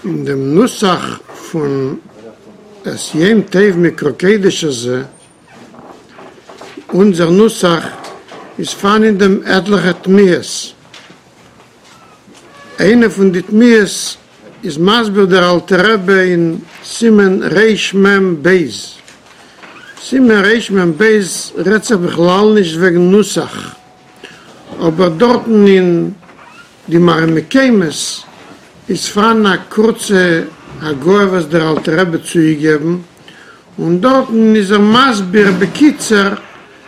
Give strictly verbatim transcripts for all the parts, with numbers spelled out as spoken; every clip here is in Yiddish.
אין דעם נוסח פון את יום טוב מקרא קודש הזה, אונזער נוסח, איז פארהאן אין דעם עטליכע תמיהות. איינע פון די תמיהות איז מסביר דער אלטער רבי אין סימן רמ ב. סימן רמ ב רעדט זיך בכלל נישט וועגן נוסח, אבער דארטן אין די מראה מקומות איז פארהאן א קורצע הגהה וואס דער אלטער רבי האט צוגעגעבן, און דארטן איז ער מסביר בקיצור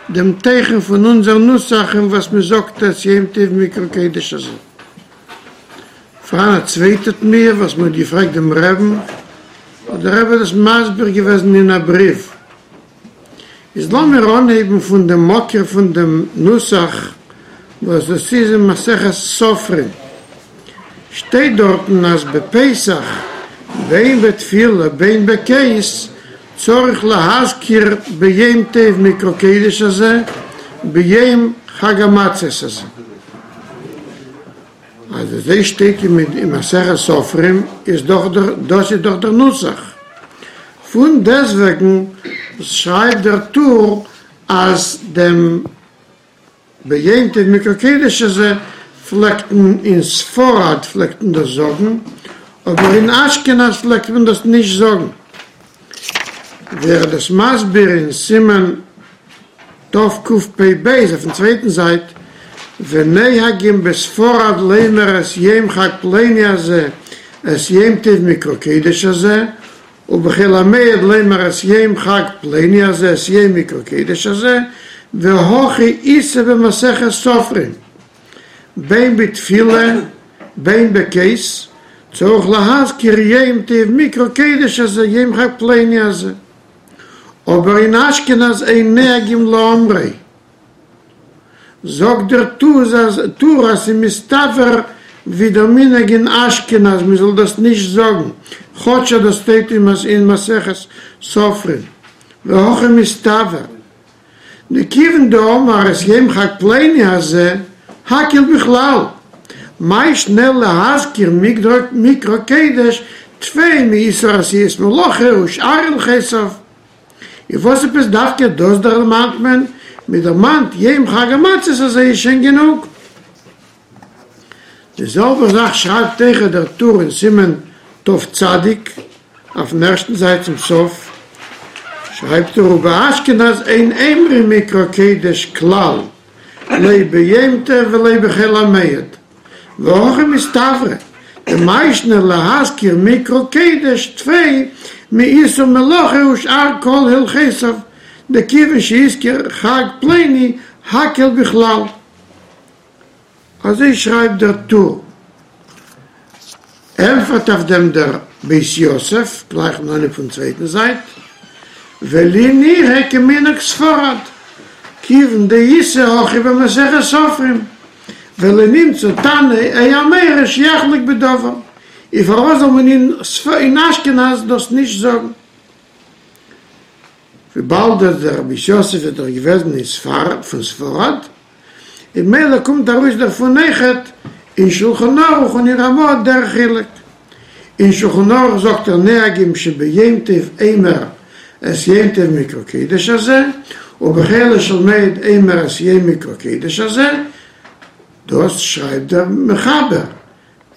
דעם תוכן פון אונזער נוסח אין וואס מען זאגט את יום טוב מקרא קודש הזה. פארהאן א צווייטע תמיהה וואס מען האט געפרעגט דעם רעבן, האט דער רבי דאס מסביר געוועזן אין א בריוו. איז לאמיר אנהייבן פון דעם מקור פון דעם נוסח וואס דאס איז אין מסכת סופרים, שטייט דארטן אז בפסח בין בתפילה בין בכוס צריך להזכיר ביום טוב מקרא קודש הזה ביום חג המצות הזה. אז אזוי שטייט אין מסכת סופרים איז דאך דאס איז דאך דער נוסח. פון דעסוועגן שרייבט דער טור אז דעם ביום טוב מקרא קודש הזה פלעגט מען אין ספרד פלעגט מען דאס זאגן, אבער אין אשכנז פלעגט מען דאס נישט זאגן. ווי ער איז דאס מסביר אין סימן תקפ ב אויפן צווייטן זייט, ונוהגים בספרד לומר את יום חג פלוני הזה את יום טוב מקרא קודש הזה, ובחול המועד לומר את יום חג פלוני הזה את יום מקרא קודש הזה, והכי איתא במסכת סופרים, בין בתפילה בין בכוס, צריך להזכיר יום טוב מקרא קודש הזה יום חג פלוני הזה. אבער אין אשכנז אין נוהגים לאומרו. זאגט דער טור אז ס'איז מסתבר ווי דער מנהג אין אשכנז מען זאל דאס נישט זאגן, כאטש אז דאס שטייט אין מסכת סופרים, והכי מסתבר דכיוון דאמר את יום חג פלוני הזה הכל בכלל, מאי שנא להזכיר מקרא קודש טפי מאיסור עשיית מלאכה ושאר הלכותיו. און וואס עפעס דווקא דאס דערמאנט מען? מען דערמאנט יום חג המצות הזה איז שוין גענוג. די זעלבע זאך שרייבט אויכעט דער טור אין סימן תצ אויפן ערשטן זייט צום סוף שרייבט ער ובאשכנז אין אומרים מקרא קודש כלל לא ביום טוב ולא בחול המועד והכי מסתברא דמאי שנא להזכיר מקרא קודש טפי מאיסור מלאכה ושאר כל הלכותיו דכיוון שהזכיר חג פלוני הכל בכלל. אזוי שרייבט דער טור. ענפערט אויף דעם דער בית יוסף, גלייך אין אנהייב פון צווייטן זייט, ולי נראה כמנהג ספרד, כיוון דאיתא הכי במסכת סופרים, ולא נמצא תנא או אמורא שיחלוק בדבר, און פארוואס זאל מען אין אשכנז דאס נישט זאגן? וויבאלד דער בית יוסף איז דאך געוועזן אין ספרד, פון ספרד, און ממילא קומט ארויס דערפון אויכעט אין שלחן ערוך און אין רמא דער חילוק. אין שלחן ערוך זאגט ער נוהגים שביום טוב אומר את יום טוב מקרא קודש הזה, ובחולו של מועד אומר את יום מקרא קודש הזה, דאס שרייבט דער מחבר,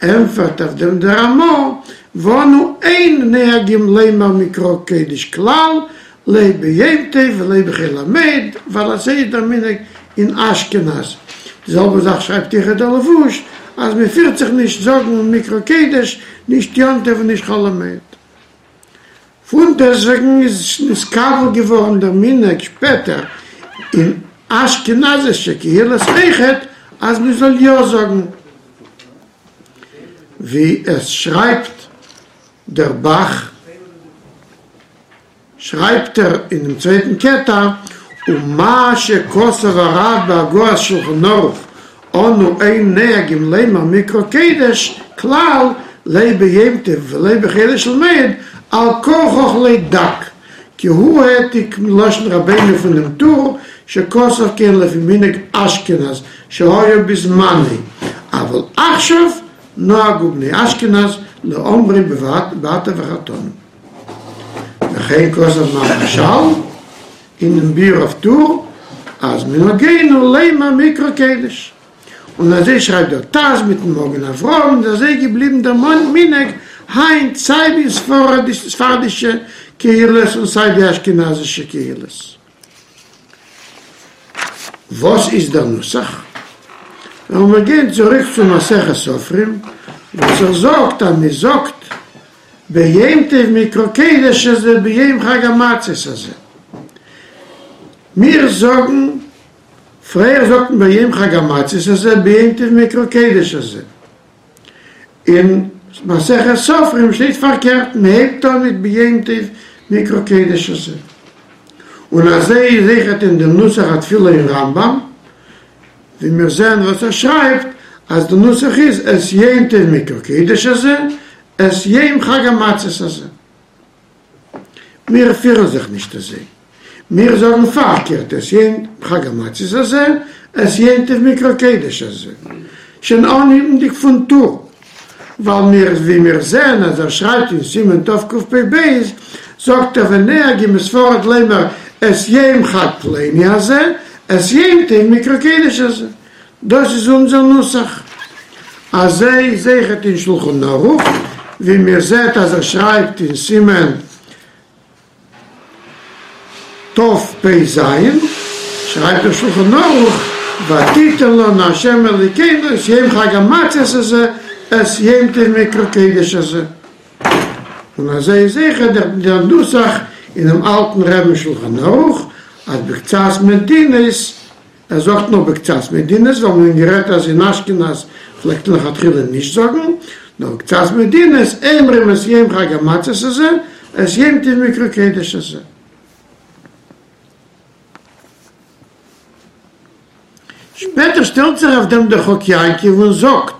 ענפערט אויף דעם דער רמא, ואנו אין נוהגים לומר מקרא קודש כלל, לא ביום טוב ולא בחול המועד, ווייל אזוי איז דער מנהג אין אשכנז. די זעלבע זאך שרייבט אויכעט דער לבוש, אז מען פירט זיך נישט זאגן מקרא קודש, נישט יום טוב און נישט חול המועד. פונדעסטוועגן איז נתקבל געווארן דער מנהג שפעטער אין אשכנזישע קהילות אויכעט אז מען זאל יא זאגן, ווי עס שרייבט דער ב"ח, שרייבט ער אינעם צווייטן קטע, ומה שכתב הרב בהגהות שלחן ערוך אנו אין נוהגים לומר מקרא קודש כלל לא ביום טוב ולא בחולו של מועד על כרחך לא דק כי הוא העתיק מלשון רבינו פונעם טור שכתב כן לפי מנהג אשכנז שהיה בזמנו אבל עכשיו נהגו בני אשכנז לאומרו באתה בחרתנו. וכן כתב מהרש"ל אינעם ביאור אויף טור אז מנהגינו לומר מקרא קודש. און אזוי שרייבט דער ט"ז מיטן מגן אברהם, און אזוי געבליבן דער מנהג היינט סיי די ספרדישע קהילות און סיי די אשכנזישע קהילות. וואס איז דער נוסח? וועלן מיר גיין צוריק צו מסכת סופרים, וואס ער זאגט אז מען זאגט ביום טוב מקרא קודש הזה ביום חג המצות הזה. מיר זאגן, פריער זאגט מען ביום חג המצות הזה ביום טוב מקרא קודש הזה. אין מסכת סופרים שטייט פארקערט, מען הייבט אן מיט ביום טוב מקרא קודש הזה. און אזוי איז אויכעט אין דעם נוסח התפילה אין רמב"ם, ווי מיר זעען וואס ער שרייבט אז די נוסח איז את יום טוב מקרא קודש הזה, את יום חג המצות הזה. מיר פירן זיך נישט אזוי. מיר זאגן פארקערט, את יום חג המצות הזה, את יום טוב מקרא קודש הזה. שוין אנהייבנדיג פון טור, ווייל מיר ווי מיר זעען אז ער שרייבט אין סימן תקפ"ב, זאגט ער ונוהגין בספרד לומר את יום חג פלוני הזה, את יום טוב מקרא קודש הזה. דאס איז אונזער נוסח. אזוי איז אויכעט אין שלחן ערוך, ווי מיר זעט אז ער שרייבט אין סימן תפ"ז, שרייבט דער שלחן ערוך, ותתן לנו ה' אלוקינו את יום חג המצות הזה, את יום טוב מקרא קודש הזה. און אזוי איז אויכעט דער נוסח אינעם אלטן רבי'ן שלחן ערוך, אז בקצת מדינות, ער זאגט נאר בקצת מדינות, ווייל מיר האבן גערעדט אז אין אשכנז פלעגט מען לכתחילה נישט זאגן, נאר בקצת מדינות, אומרים את יום חג המצות הזה, את יום טוב מקרא קודש הזה. שפעטער שטעלט זיך אויף דעם דער חק יעקב און זאגט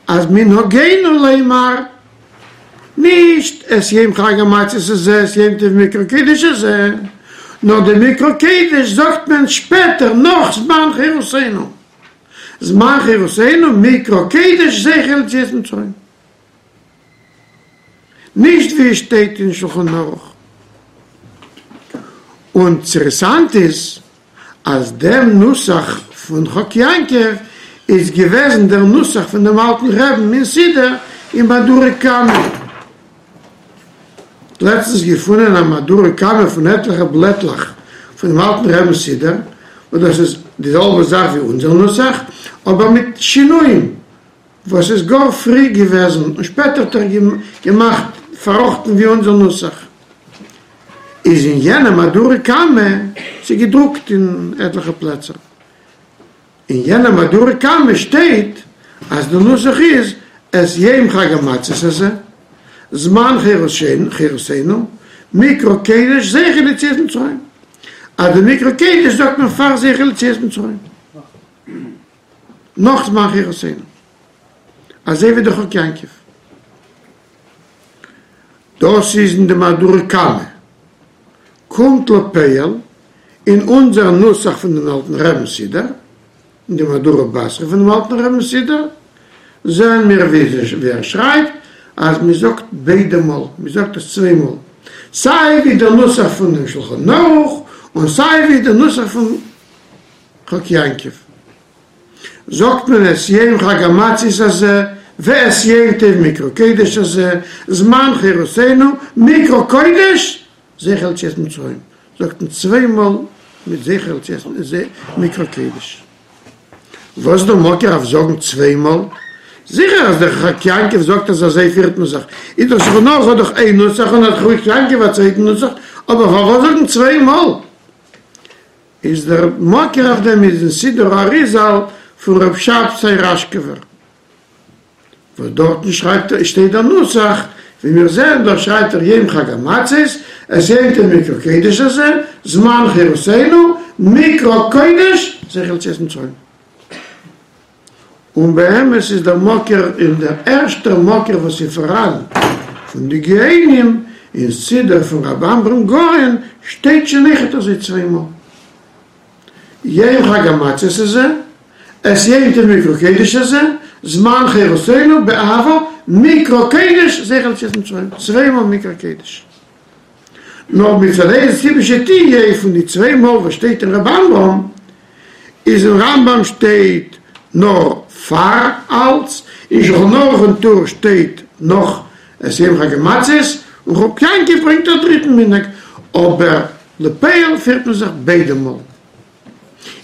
אז מנהגינו לומר נישט את יום חג המצות הזה את יום טוב מקרא קודש הזה, נאר די מקרא קודש זאגט מען שפעטער נאך זמן חירותינו, זמן חירותינו מקרא קודש זכר ליציאת מצרים, נישט ווי עס שטייט אין שלחן ערוך. און אינטערעסאנט איז אז דעם נוסח פון חק יעקב איז געוועזן דער נוסח פון דעם אלטן רעבן אין סידור אין מהדורא קמא. לעצטנס געפונען א מהדורא קמא פון עטליכע בלעטלעך פון דעם אלטן רעבן סידור, וואס דאס איז די זעלבע זאך ווי אונזער נוסח, אבער מיט שינויים, וואס איז גאר פרי געוועזן און שפעטער האט ער געמאכט פארראכטן ווי אונזער נוסח איז אין יענע מהדורא קמא, ס'איז געדרוקט אין עטליכע פלעצער, אין יענע מהדורא קמא שטייט אז די נוסח איז את יום חג המצות הזה, זמן חירותינו, מקרא קודש זכר ליציאת מצרים, אז די מקרא קודש זאגט מען פאר זכר ליציאת מצרים, נאך זמן חירותינו, אזוי ווי די חק יעקב. דאס איז אין די מהדורא קמא. קומט לפועל אין אונזער נוסח פון דעם אלטן רעבן סידור, אין די מהדורא בתרא פון דעם אלטן רעבן סידור, זעען מיר ווי ער שרייבט אז מען זאגט ביידע מאל, מען זאגט עס צוויי מאל, סיי ווי דער נוסח פון דעם שלחן ערוך און סיי ווי דער נוסח פון חק יעקב. זאגט מען את יום חג המצות הזה ואת יום טוב מקרא קודש הזה, זמן חירותינו, מקרא קודש, זכר ליציאת מצרים, זאגט מען צוויי מאל מיט זכר ליציאת מקרא קודש. וואס איז דער מקור אויף זאגן צוויי מאל? זיכער אז דער חק יעקב זאגט אז אזוי פירט מען זיך, איז דער שלחן ערוך האט דאך איין נוסח און האט חק יעקב א צווייטן נוסח, אבער פארוואס זאגן צוויי מאל? איז דער מקור אויף דעם איז אין סידור האריזל פון ר' שבתאי ראשקעווער, וואס דארטן שרייבט ער שטייט דער נוסח, ווי מיר זעען דארט שרייבט ער יום חג המצות, את יום טוב מקרא קודש הזה, זמן חירותינו, מקרא קודש, זכר ליציאת מצרים. און באמת איז דער מקור אין דער ערשטער מקור וואס איז פאראן פון די גאונים אין סידור פון רבי עמרם גורן שטייט שוין אויכעט אזוי צוויי מאל יום חג המצות הזה, את יום טוב מקרא קודש הזה, זמן חירותינו באהבה מקרא קודש זכר ליציאת מצרים, צוויי מאל מקרא קודש. נאר מצד איזה סיבה שתהיה פון די צוויי מאל וואס שטייט אין רמב ם, איז אין רמב ם שטייט נאר פאר אלץ, אין שולחן ערוך און טור שטייט נאך את יום חג המצות, און חק יעקב ברענגט א דריטן מנהג, אבער לפועל פירט מען זיך ביידע מאל.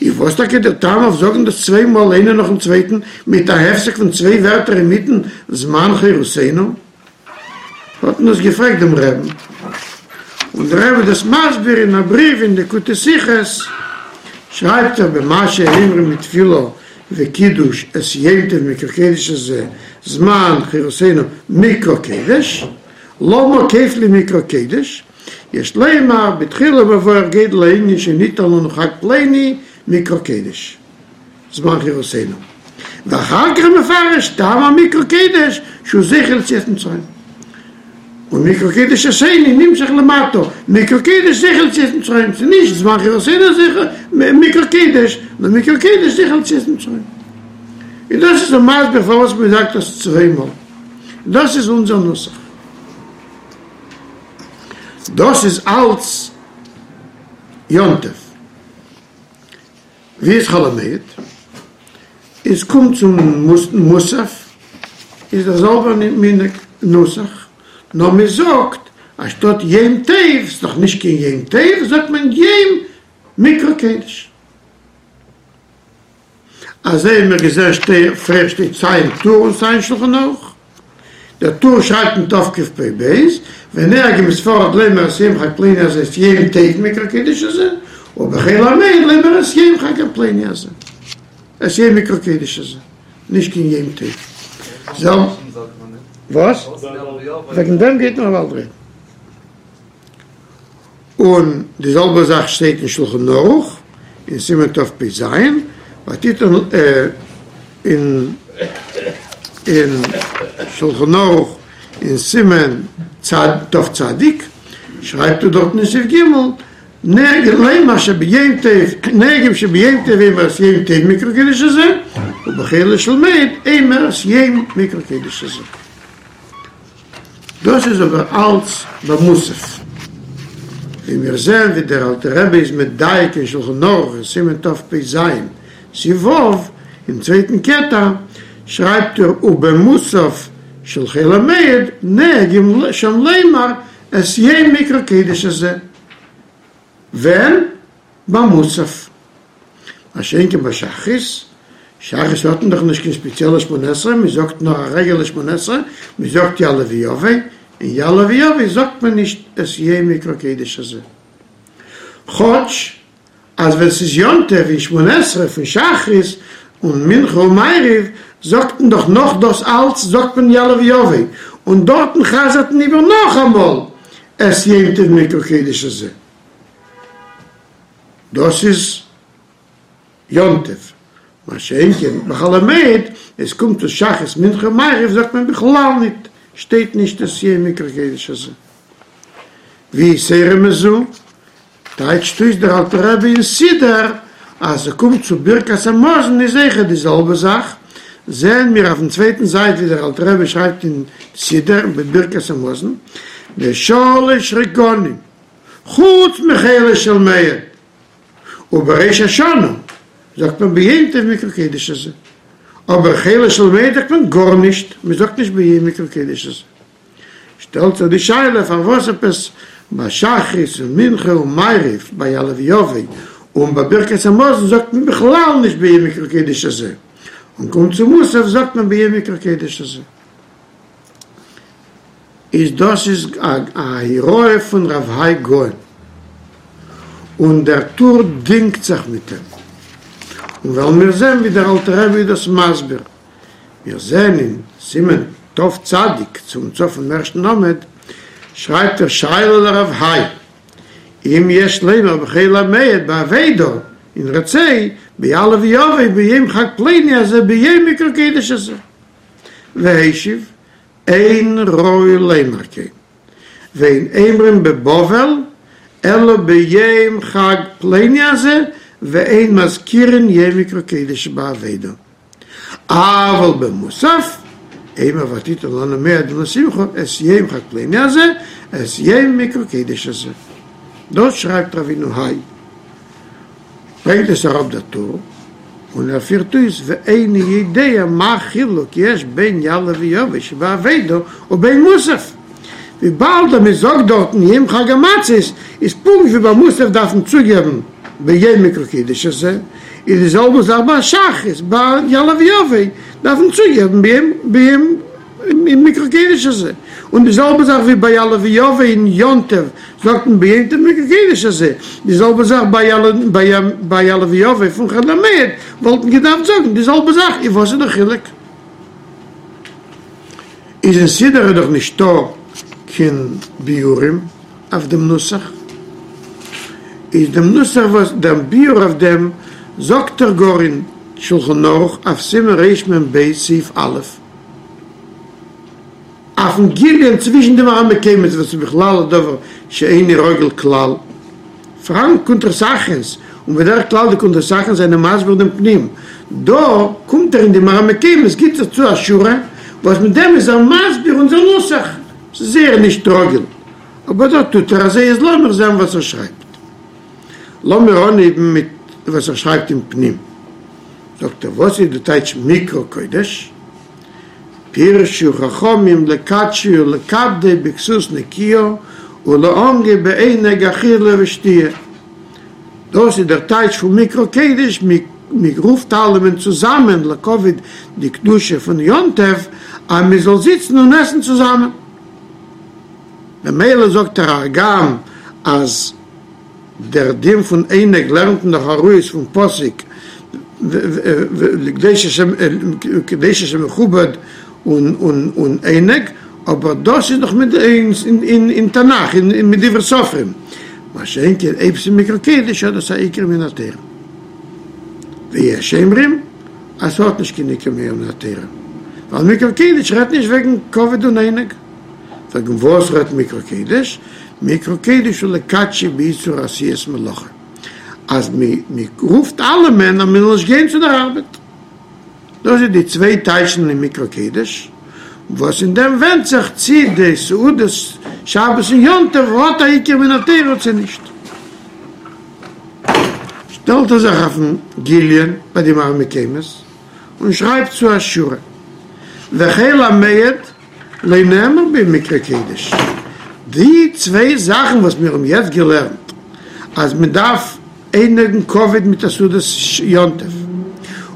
איז וואס טאקע דער טעם אויף זאגן דאס צוויי מאל איינער נאכן צווייטן מיט א הפסק פון צוויי ווערטער אינמיטן זמן חירותינו? האט מען דאס געפרעגט דעם רעבן, און דער רבי איז דאס מסביר אין א בריוו אין ליקוטי שיחות, שרייבט ער במה שאומרים בתפילה וקידוש את יום טוב מקרא קודש הזה זמן חירותינו מקרא קודש, למה כופלים מקרא קודש, יש לומר בתחילה מבואר גודל הענין שניתן לנו חג פלוני מקרא קודש זמן חירותינו, ואחר כך מפרש טעם המקרא קודש שהוא זכר ליציאת מצרים. און מקרא קודש השני נמשך למטה, מקרא קודש זכר ליציאת מצרים, ס'איז נישט זמן חירותינו זכר מקרא קודש, נאר מקרא קודש זכר ליציאת מצרים. און דאס איז דער מסביר פארוואס מען זאגט דאס צוויי מאל. דאס איז אונזער נוסח. דאס איז אלץ יום טוב. ווי איז חול המועד? איז קומט צום מוסף איז דער זעלבער מנהג נוסח, נאר מען זאגט אנשטאט יום טוב, ס'איז דאך נישט קיין יום טוב, זאגט מען יום מקרא קודש. אזוי האבן מיר געזען פריער שטייט סיי אין טור און סיי אין שלחן ערוך. דער טור שרייבט אין תקפ"ב, ונוהגין בספרד לומר את יום חג פלוני הזה את יום טוב מקרא קודש הזה, ובחול המועד לומר את יום חג הפלוני הזה, את יום מקרא קודש הזה, נישט קיין יום טוב. וואס? וועגן דעם גייט מען באלד רעדן. און די זעלבע זאך שטייט אין שלחן ערוך אין סימן תפ"ז, ותיתן אין אין שלחן ערוך אין סימן תצ, שרייבט ער דארטן אין סעיף ג', נוהגין לומר שביום טוב, נוהגים שביום טוב אומר את יום טוב מקרא קודש הזה, ובחולו של מועד אומר את יום מקרא קודש הזה. דאס איז אבער אלץ במוסף. ווי מיר זעען ווי דער אלטער רבי איז מדייק אין שלחן ערוך אין סימן תפ"ז סעיף ו', אין צווייטן קטע שרייבט ער ובמוסף של חול המועד נוהגים שם לומר את יום מקרא קודש הזה. ווען? במוסף. מה שאין כן בשחרית, שחרית האט מען דאך נישט קיין ספעציעלע שמונה עשרה, מען זאגט נאר א רעגולער שמונה עשרה, מען זאגט יעלה ויבוא, און יעלה ויבוא זאגט מען נישט את יום מקרא קודש הזה. כאטש אז ווען ס'איז יום טוב אין שמונה עשרה פון שחרית און מנחה און מעריב זאגט מען דאך נאך דאס אלץ זאגט מען יעלה ויבוא, און דארטן חזר'ט מען איבער נאכאמאל את יום טוב מקרא קודש הזה. דאס איז יום טוב, מה שאין כן בחול המועד, עס קומט צו שחרית מנחה מעריב זאגט מען בכלל ניט, שטייט נישט את יום מקרא קודש הזה. ויתירה מזו, טייטשט אויס דער אלטער רבי אין סידור אז ס'קומט צו ברכת המזון איז אויכעט די זעלבע זאך, זעען מיר אויפן צווייטן זייט ווי דער אלטער רבי שרייבט אין סידור בברכת המזון בשלש רגלים חוץ מחולו של מועד, ובראש השנה זאגט מען ביום טוב מקרא קודש הזה, אבער חולו של מועד זאגט מען גארנישט, מען זאגט נישט ביום מקרא קודש הזה. שטעלט זיך די שאלה פארוואס עפעס ביי שחרית און מנחה און מעריב ביי יעלה ויבוא און ביי ברכת המזון זאגט מען בכלל נישט ביום מקרא קודש הזה, און קומט צו מוסף זאגט מען ביום מקרא קודש הזה. איז דאס איז א הוראה פון רב האי גאון, און דער טור דינגט זיך מיט אים, און וועלן מיר זען ווי דער אלטער רבי איז דאס מסביר, מיר זען אין סימן תצ צום סוף פון ערשטן עמוד שרייבט ער שאלה לרב האי אם יש לומר בחול המועד בעבודה אין רצה ביעלה ויבוא ביום חג פלוני הזה ביום מקרא קודש הזה והשיב אין ראוי לומר כן ואין אומרים בבבל אלא ביום חג פלוני הזה ואין מזכירין יום מקרא קודש בעבודה. אבל במוסף, אימר ותיתן לנו מועדים לשמחה, את יום חג פלוני הזה, את יום מקרא קודש הזה. דאס שרייבט רבינו היי. ברענגט עס אראפ דער טור, און ער פירט אויס ואיני יודע מה חילוק יש בין יעלה ויבוא שבעבודה ובין מוסף. וויבאלד אז מען זאגט דארטן יום חג המצות, איז פונקט ווי ביי מוסף דארף מען צוגעבן ביום מקרא קודש הזה, איז די זעלבע זאך ביי שחרית, ביי יעלה ויבוא דארף מען צוגעבן ביום מקרא קודש הזה, און די זעלבע זאך ווי ביי יעלה ויבוא אין יום טוב זאגט מען ביום טוב מקרא קודש הזה, די זעלבע זאך ביי יעלה ויבוא פון חול המועד וואלט מען געדארפט זאגן די זעלבע זאך, איז וואס איז די חילוק? איז אין סידור איז דאך נישטא קיין ביאורים אויף דעם נוסח, איז דעם נוסח וואס דער ביאור אויף דעם זאגט ער גאר אין שלחן ערוך אויף סימן רמ"ב סעיף א', אויפן גליון צווישן די מראה מקומות וואס איז בכלל א דבר שאיני רגיל כלל, פאראן קונטרס אחרינ'ס, און בדרך כלל די קונטרס אחרינ'ס זענען מסביר דעם פנים, דא קומט ער אין די מראה מקומות גיבט ער צו א שורה וואס מיט דעם איז ער מסביר אונזער נוסח, ס'איז זייער נישט רגיל, אבער דא טוט ער אזוי, איז לאמיר זען וואס ער שרייבט. לאמיר אנהייבן מיט וואס ער שרייבט אין פנים. זאגט ער וואס איז די טייטש מקרא קודש? פירשו חכמים לקדשו ולכבדו בכסות נקיה ולענגו בעונג אכילה ושתיה. דאס איז דער טייטש פון מקרא קודש, מען רופט אלעמען צוזאמען לכבוד די קדושה פון יום טוב, אז מען זאל זיצן און עסן צוזאמען. במילא זאגט ער הגם אז דער דין פון עונג לערנט מען דאך ארויס פון פסוק לקדוש השם מכובד און עונג, אבער דאס איז דאך אין תנך אין מדברי סופרים, מה שאין כן אויב ס'איז מקרא קודש האט דאס א עיקר מן התורה. ויש אומרים אז ס'האט נישט קיין עיקר מן התורה, ווייל מקרא קודש רעדט נישט וועגן כבוד און עונג. וועגן וואס רעדט מקרא קודש? מקרא קודש הוא לקדשו באיסור עשיית מלאכה, אז מען רופט אלעמען אז מען זאל נישט גיין צו דער ארבעט. דאס איז די צוויי טייטשן אין מקרא קודש, וואס אין דעם ווענדט זיך צי די סעודת שבת און יום טוב האט א עיקר מן התורה צי נישט. שטעלט ער זיך אויפן גליון ביי די מראה מקומות און שרייבט צו א שורה, וחול המועד לא נאמר בו מקרא קודש, די צוויי זאכן וואס מיר האבן יעצט געלערנט אז מען דארף עונג און כבוד מיט א סעודת יום טוב,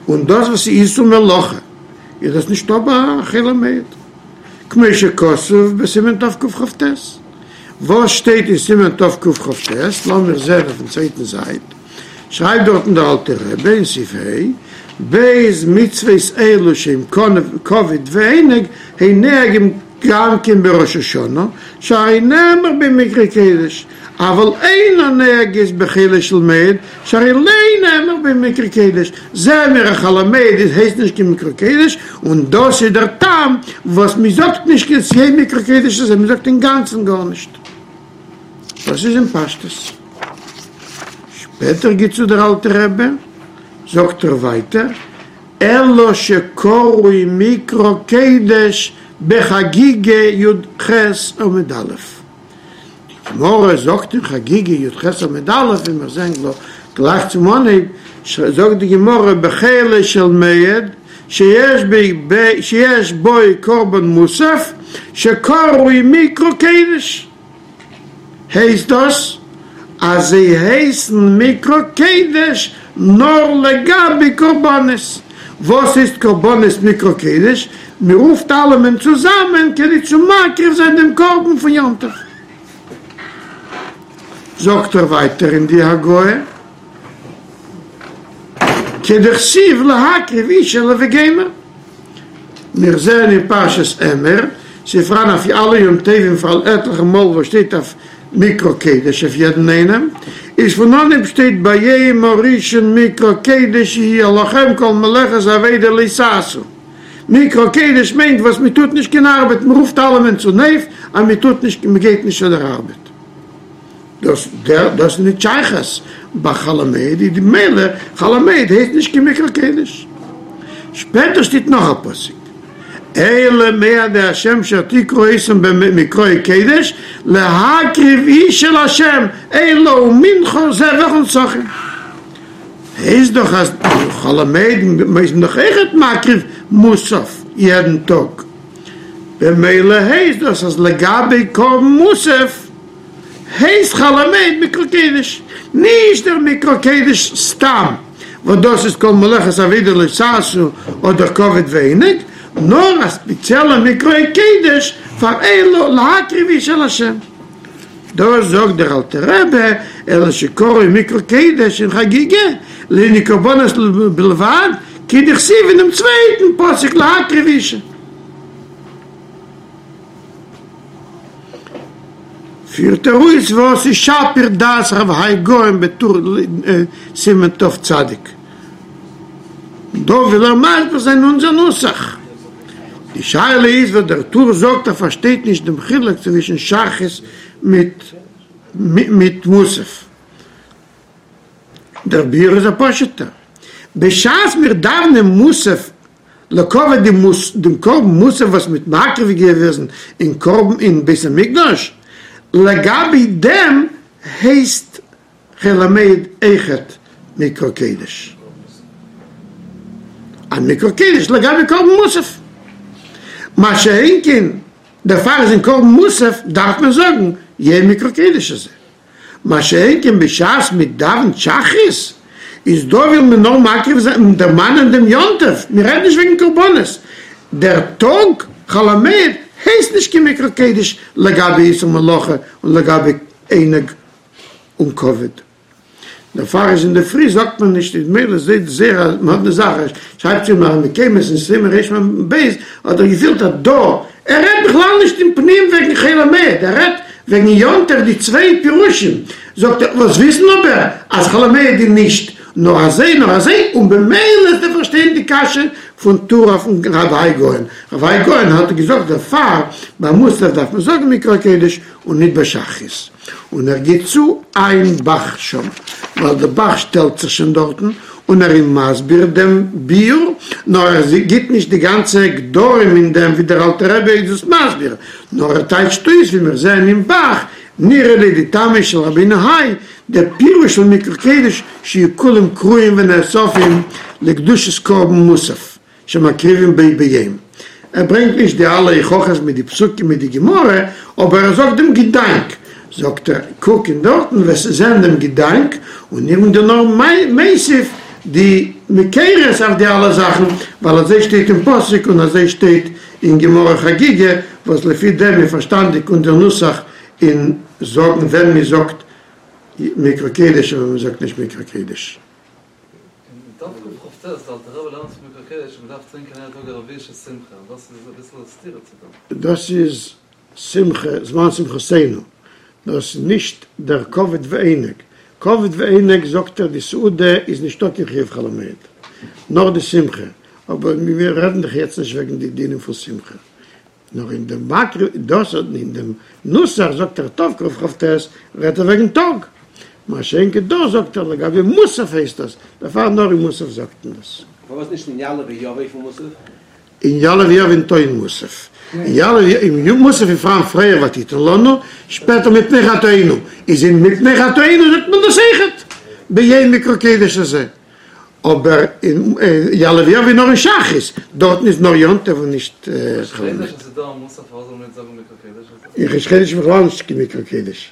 און דאס וואס איז איסור מלאכה, איז דאס נישטא ביי חול המועד, כמו שכתוב בסימן תקכ"ט, וואס שטייט אין סימן תקכ"ט, לאמיר זען אויפן צווייטן זייט, שרייבט דארטן דער אלטער רבי אין סעיף ה', ב' מצוות אלו שהם כבוד ועונג הן נוהגים גם כן בראש השנה, שהרי נאמר בו מקרא קודש, אבל אינן נוהגות בחולו של מועד, שהרי לא נאמר בו מקרא קודש, זעען מיר אז חול המועד איז הייסט נישט קיין מקרא קודש, און דאס איז דער טעם וואס מען זאגט נישט קיין את יום מקרא קודש הזה, מען זאגט אינגאנצן גארנישט. דאס איז אין פשטות. שפעטער גיט צו דער אלטער רבי, זאגט ער ווייטער, אלא שקרוי מקרא קודש בחגיגה י"ח עמוד א'. די גמרא זאגט אין חגיגה י"ח עמוד א', ווי מיר זעען גלייך צום אנהייב, זאגט די גמרא בחולו של מועד שיש בו קרבן מוסף שקרוי מקרא קודש. הייסט דאס אז זיי הייסן מקרא קודש נאר לגבי קרבנות? וואס הייסט קרבנות מקרא קודש? מען רופט אלעמען צוזאמען כדי צו מקריב זיין דעם קרבן פון יום טוב. זאגט ער ווייטער אין די הגהה, כדכתיב להקריב איש אלה וגומר. מיר זעען אין פרשת אמור, ס'איז פאראן אויף אלע יום טובים פאראן עטליכע מאל וואס שטייט אויף מקרא קודש אויף יעדן איינעם, איז פון אנהייב שטייט ביום הראשון מקרא קודש יהיה לכם כל מלאכת עבודה לא תעשו, מקרא קודש מיינט וואס מען טוט נישט קיין ארבעט, מען רופט אלעמען צונויף אז מען טוט נישט מען גייט נישט צו דער ארבעט. דאס דאס איז נישט שייכות ביי חול המועד, איז ממילא חול המועד הייסט נישט קיין מקרא קודש. שפעטער שטייט נאך א פסוק, אלה מועדי השם אשר תקראו אותם במקראי קודש להקריב אשה להשם עולה ומנחה זבח ונסכים. הייסט דאך אז חול המועד איז מען דאך אויכעט מקריב מוסף יעדן טאג, במילא הייסט דאס אז לגבי קרבן מוסף הייסט חול המועד מקרא קודש, נישט דער מקרא קודש סתם וואס דאס איז כל מלאכת עבודה לא תעשו אדער כבוד ועונג, נאר א ספעציעלע מקרא קודש פאר עולה להקריב אשה להשם. דאס זאגט דער אלטער רבי, אלא שקרוי מקרא קודש אין חגיגה לענין קרבנות בלבד, כדכתיב אין דעם צווייטן פסוק להקריב אשה. פירט ער אויס וואס איז שפיר דעת רב האי גאון בטור סימן תצ. דא וויל ער מסביר זיין אונזער נוסח. די שאלה איז וואס דער טור זאגט ער פארשטייט נישט דעם חילוק צווישן שחרית מיט מיט מוסף. דער ביאור איז א פשוט'ער. בשעת מיר דאווענען מוסף לכבוד דעם קרבן מוסף וואס מ'האט מקריב געוועזן אין קרבן אין בית המקדש, לגבי דעם הייסט חול המועד אויכעט מקרא קודש. א מקרא קודש לגבי קרבן מוסף. מה שאין כן דערפאר איז אין קרבן מוסף דארף מען זאגן יום מקרא קודש הזה. מה שאין כן בשעת מען דאווענט שחרית איז דא וויל מען נאר מקריב זיין און דערמאנען דעם יום טוב, מען רעדט נישט וועגן קרבנות, דער טאג חול המועד הייסט נישט קיין מקרא קודש לגבי איסור מלאכה און לגבי עונג און כבוד. דערפאר איז אינדערפרי זאגט מען נישט איז מילא זעהט זייער א מאדנע זאך ער שרייבט צו מראה מקומות אין סימן רמ ב האט ער געפילט אז דא ער רעדט בכלל נישט אין פנים וועגן חול המועד ער רעדט וועגן יום טוב די צוויי פירושים זאגט ער וואס וויסן אבער אז חול המועד איז נישט נאר אזוי נאר אזוי און במילא איז צו פארשטיין די קשיא פון טור אויפן רב האי גאון רב האי גאון האט געזאגט דערפאר ביי מוסף דארף מען זאגן מקרא קודש און ניט ביי שחרית, און ער גיט צו עיין ב"ח שם, ווייל דער ב"ח שטעלט זיך שוין דארטן און ער איז מסביר דעם ביאור, נאר ער גיט נישט די גאנצע גדרים אין דעם ווי דער אלטער רבי איז דאס מסביר, נאר ער טייטשט אויס ווי מיר זעען אין ב"ח, נראה לי דטעמו של רבינו האי, דער פירוש של מקרא קודש שיהיו כולם קרואים ונאספים לקדושת קרבן מוסף. שמקריבים בו ביום. ער ברענגט נישט די אלע הוכחות מיט די פסוקים מיט די גמרא, אבער ער זאגט דעם געדאנק, זאגט ער, קוק אין דארטן וועסטו זען דעם געדאנק, און איך בין דיר נאר מוסיף די מקורות אויף די אלע זאכן, ווייל אזוי שטייט אין פסוק און אזוי שטייט אין גמרא חגיגה, וואס לפי דעם איז פארשטאנדיג אונזער נוסח אין זאגן ווען מען זאגט מקרא קודש און ווען מען זאגט נישט מקרא קודש. אין תקכ"ט דער אלטער רבי לערנט פון מקרא קודש אז מ'דארף טרינקען יעדע טאג א רביעית של שמחה, און דאס איז אביסל א סתירה צו דעם. דאס איז שמחה, זמן שמחתינו, דאס איז נישט דער כבוד ועונג, כבוד ועונג זאגט ער די סעודה איז נישטא קיין חיוב חול המועד, נאר די שמחה, אבער מיר רעדן דאך יעצט נישט וועגן די דינים פון שמחה, נאר אין דעם מקרא דאס אין דעם נוסח זאגט ער תקכ"ט רעדט ער וועגן טאג, מה שאין כן דא זאגט ער לגבי מוסף הייסט דאס, דערפאר נאר אין מוסף זאגט מען דאס. פארוואס נישט אין יעלה ויבוא פון מוסף? אין יעלה ויבוא ניטא אין מוסף, אין יעלה אין מוסף איז פאראן פריער ותתן לנו, שפעטער מפני חטאינו, איז אין מפני חטאינו זאגט מען דאס אויכעט ביום מקרא קודש הזה. אבער אין יעלה ויבוא נאר אין שחרית, דארטן איז נאר יום טוב און נישט חול המועד. אין ראש חודש איז בכלל נישט קיין מקרא קודש,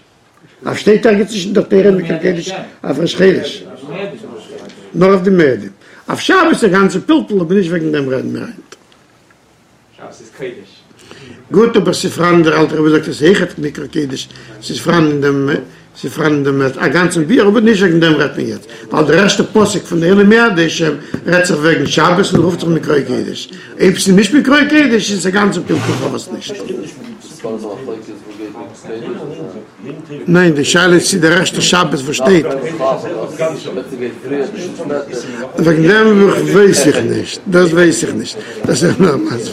אויף שטייט ערגעץ נישט אין דער תורה מקרא קודש אויף ראש חודש, נאר אויף די מועדים, אויף שבת איז א גאנצע פלפול אבער נישט וועגן דעם רעדן מיר היינט. שבת איז קודש. גוט אבער ס'איז פאראן דער אלטער רבי זאגט עס אויכעט מקרא קודש ס'איז פאראן אין דעם ס'איז פאראן אין דעם א גאנצן ביאור אבער נישט וועגן דעם רעדט מען יעצט ווייל דער ערשטער פסוק פון אלה מועדי השם רעדט זיך וועגן שבת און רופט זיך מקרא קודש אויב ס'איז נישט מקרא קודש איז עס א גאנצן פלפול פארוואס נישט. ניין די שאלה איז צו דער ערשטער שבת וואס שטייט וועגן דעם ווייס איך נישט דאס ווייס איך נישט דאס איז נאר מיינס.